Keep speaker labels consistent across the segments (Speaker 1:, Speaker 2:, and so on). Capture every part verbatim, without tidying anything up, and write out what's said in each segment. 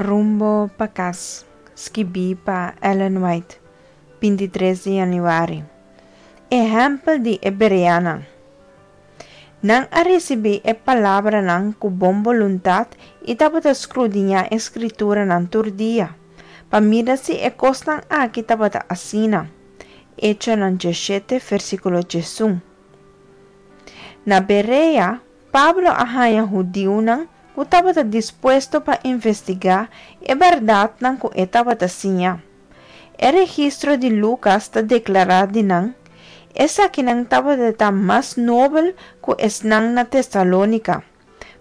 Speaker 1: Rumbo pa Kas, skibí pa Ellen White, bintitres di yanüari. Ehèmpel di e Bereanan. Nan a risibí e palabranan ku bon boluntat i tabata skrudiñá e Skrituranan tur dia, pa mira si e kosnan aki tabata asina. Echonan diesshete, versíkulo diesun. Na Berea, Pablo a haña hudiunan ku tabata dispuesto pa investigá e bèrdatnan ku e tabata siña. E registro di Lukas ta deklará di nan, Esakinan tabata mas nobel ku esnan na Tesalónika,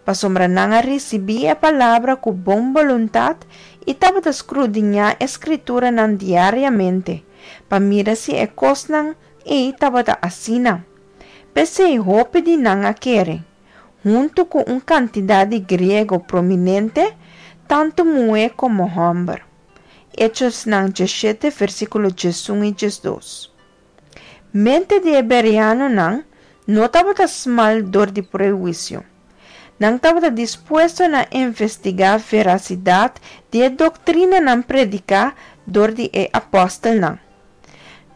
Speaker 1: pasobra nan a risibí e palabra ku bon boluntat i tabata skrudiñá e Skrituranan diariamente, pa mira si e kosnan ei tabata asina. P'esei hopi di nan a kere, huntu ku un kantidat di griego prominente, tantu muhé komo hòmber. Echosnan diesshete, versíkulo diesun i diesdos. Mente di e bereanonan no tabata smal dor di prehuisio. Nan tabata dispuesto na investigá verasidat di e doktrinanan prediká dor di e apòstelnan.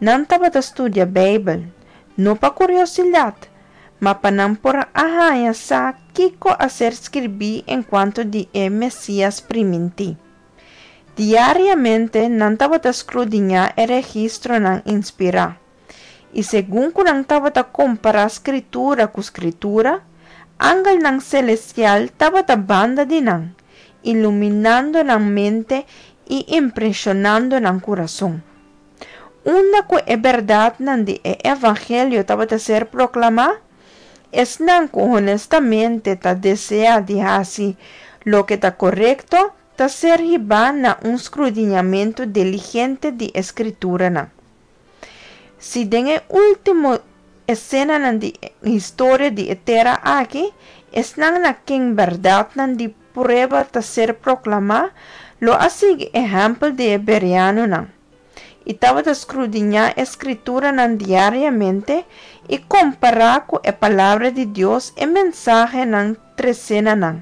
Speaker 1: Nan tabata studia Beibel, no pa kuriosidat, ma pa nan por a haña sa kiko a ser skirbí enkuanto di e Mesias primintí. Diariamente nan tabata skrudiñá e registronan inspirá. I segun ku nan tabata kompará Skritura ku Skritura, angelnan selestial tabata banda di nan, iluminando nan mente i impreshonando nan kurason. Unda ku e bèrdatnan di e evangelio tabata ser proklamá, esnan ku honestamente ta deseá di hasi loke ta korekto ta ser hibá na un skrudiñamentu diligente di e Skrituranan. Si den e último esenanan di historia di e tera aki, esnan na ken bèrdatnan di prueba ta ser proklamá, lo a sigui ehèmpel di e bereanonan, i tabata skrudiñá e Skrituranan diariamente i kompará ku e Palabra di Dios e mensahenan tresé na nan,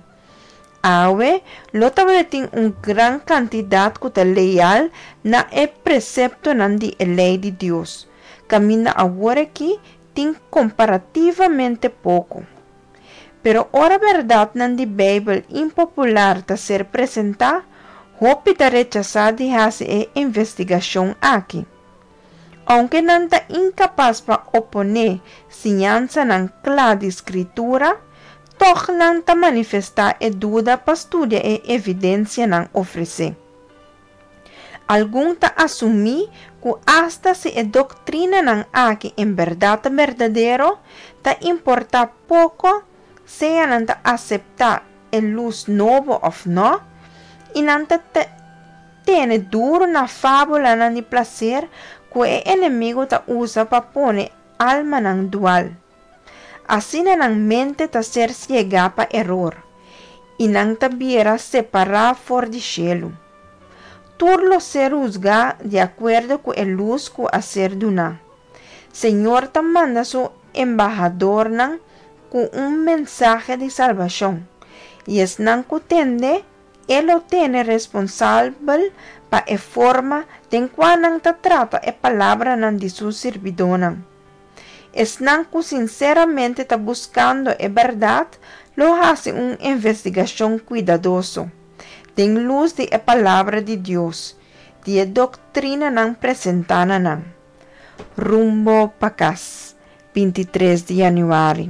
Speaker 1: awe lo tabatin un gran kantidat ku ta leal na e preseptonan di e lei di Dios, kaminda aworakí tin komparativamente poko. Pero ora bèrdatnan di Beibel impopular ta ser presentá, hopi ta rechasá di hasi e investigashon aki. Ounke nan ta inkapas pa oponé siñansanan kla di Skritura, tòg nan ta manifestá e duda pa studia e evidensianan ofresé. Algun ta asumí ku asta si e doktrinanan aki en bèrdat ta berdadero, ta importá poko sea nan ta aseptá e lus nobo òf nò, i nan ta tene duru na fábulanan di plaser ku e enemigu ta usa pa pone almanan dual. Asina nan mente ta ser siegá pa eror, i nan ta bira separá for di shelu. Tur lo ser husgá di akuerdo ku e lus ku a ser duná. Señor ta manda su embahadornan ku un mensahe di salbashon, i esnan ku tende e lo tene responsabel pa e forma den kua nan ta trata e palabranan di su sirbidónan. Esnan ku sinseramente ta buskando e bèrdat lo hasi un investigashon kuidadoso, den lus di e Palabra di Dios, di e doktrinanan presentá na nan. Rumbo pa Kas, bintitres di yanüari.